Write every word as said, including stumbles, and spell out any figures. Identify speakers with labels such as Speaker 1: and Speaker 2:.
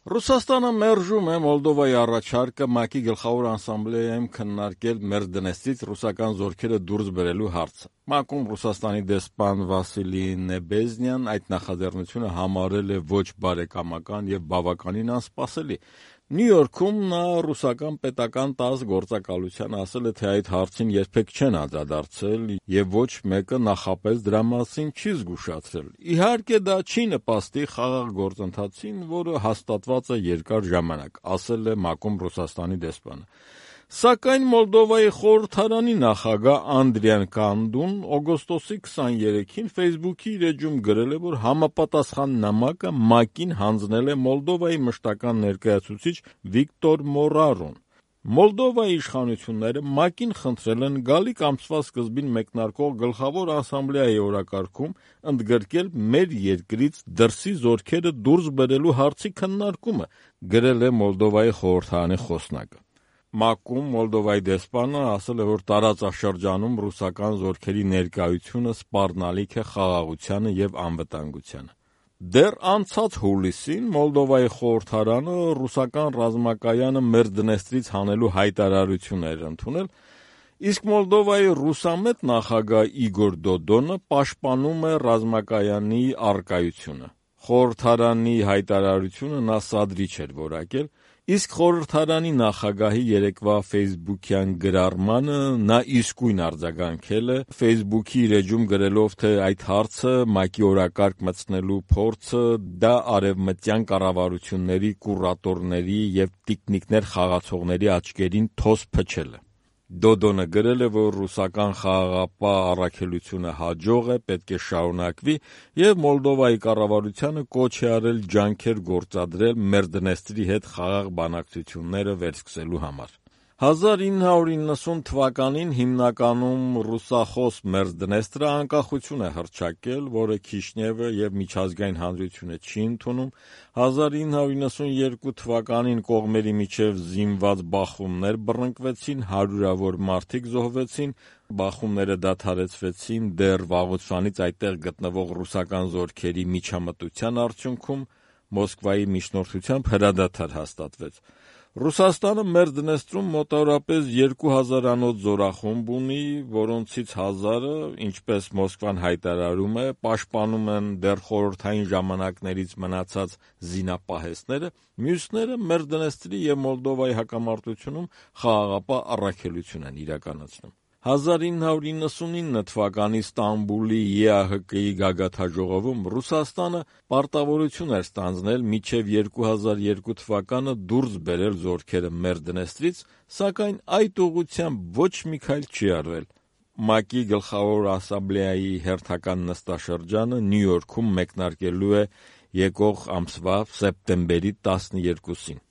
Speaker 1: Ռուսաստանը մերժում է Մոլդովայի առաջարկը ՄԱԿ-ի գլխավոր ասամբլեայում քննարկել Մերդնեստրից ռուսական զորքերը դուրս բերելու հարցը։ ՄԱԿ-ում Ռուսաստանի դեսպան Վասիլի Նեբեզնյան այդ նախաձեռնությունը համարել է ոչ բարեկամական եւ բավականին անսպասելի։ Նյու Յորքում նա ռուսական պետական տաս գործակալությանը ասել է, թե այդ հարցին երբեք չեն անդրադարձել եւ ոչ մեկը նախապես դրա մասին չի զգուշացրել։ Իհարկե դա չի նպաստի խաղաղ գործընթացին, որը հաստատված է երկար ժամանակ, ասել է ՄԱԿ-ում Ռուսաստանի դեսպանը։ Սակայն Մոլդովայի խորհրդարանի նախագահ Անդրիան Կանդուն օգոստոսի քսաներեքին Facebook-ի իր էջում գրել է, որ համապատասխան նամակը ՄԱԿ-ին հանձնել է Մոլդովայի մշտական ներկայացուցիչ Վիկտոր Մորարոն։ Մոլդովայի իշխանությունները ՄԱԿ-ին խնդրել են գալիք ամսվա սկզբին մեկնարկող գլխավոր ասամբլեայի օրակարգում ընդգրկել մեր երկրից դրսի զորքերը դուրս բերելու հարցի քննարկումը, գրել է Մոլդովայի խորհրդարանի խոսնակը։ ՄԱԿ-ում Մոլդովայի դեսպանը ասել է, որ տարածաշրջանում ռուսական զորքերի ներկայությունը սպառնալիք է խաղաղությանը եւ անվտանգությանը։ Դեռ անցած հուլիսին Մոլդովայի խորհրդարանը ռուսական ռազմակայանը Մերդնեստրից հանելու հայտարարություն էր ընդունել, իսկ Մոլդովայի ռուսամետ նախագահ Իգոր Դոդոնը պաշտպանում է ռազմակայանի առկայությունը։ Խորհրդարանի հայտարարությունը նա սադրիչ էր որակել, իսկ խորհրդարանի նախագահի երեկվա Facebook-յան գրառմանը նա իսկույն արձագանքել է, Facebook-ի իր էջում գրելով, թե այդ հարցը ՄԱԿ-ի օրակարգ մտցնելու փորձը դա արևմտյան կառավարությունների կուրատորների եւ տիկնիկներ խաղացողների աչքերին թոս փչել է։ Դոդոնը գրել է, որ ռուսական խաղաղապահ առաքելությունը հաջող է, պետք է շարունակվի եւ Մոլդովայի կառավարությանը կոչ է արել ջանքեր գործադրել Մերդնեստրի հետ խաղաղ բանակցությունները վերսկսելու համար։ հազար ինը հարյուր իննսուն թվականին հիմնականում ռուսախոս Մերդնեստրը անկախություն է հռչակել, որը Քիշնևը եւ միջազգային հանրությունը չի ընդունում։ հազար ինը հարյուր իննսունյերկու թվականին կողմերի միջև զինված բախումներ բռնկվեցին, հարյուրավոր մարդիկ զոհվեցին, բախումները դադարեցվեցին դեռ վաղուց այդտեղ գտնվող ռուսական զորքերի միջամտության արդյունքում, Մոսկվայի միջնորդությամբ հրադադար հաստատվեց։ Ռուսաստանը Մերդնեստրում մոտավորապես երկու հազարանոց զորախումբ ունի, որոնցից հազարը, ինչպես Մոսկվան հայտարարում է, պաշտպանում են դեռ խորհրդային ժամանակներից մնացած զինապահեսները, մյուսները Մերդնեստրի եւ Մոլդովայի հակամարտությունում խաղաղապահ առաքելություն են իրականացնում։ հազար ինը հարյուր իննսունինը թվականի Ստամբուլի Է Ա Հ Կ-ի գագաթաժողովում Ռուսաստանը պարտավորություն էր ստանձնել մինչև երկու հազար երկու թվականը դուրս բերել զորքերը Մերդնեստրից, սակայն այդ ուղղությամբ ոչ մի քայլ չի արվել։ ՄԱԿ-ի գլխավոր ասամբլեայի հերթական նստաշրջանը Նյու Յորքում մեկնարկելու է եկող ամսվա սեպտեմբերի տասներկուսին։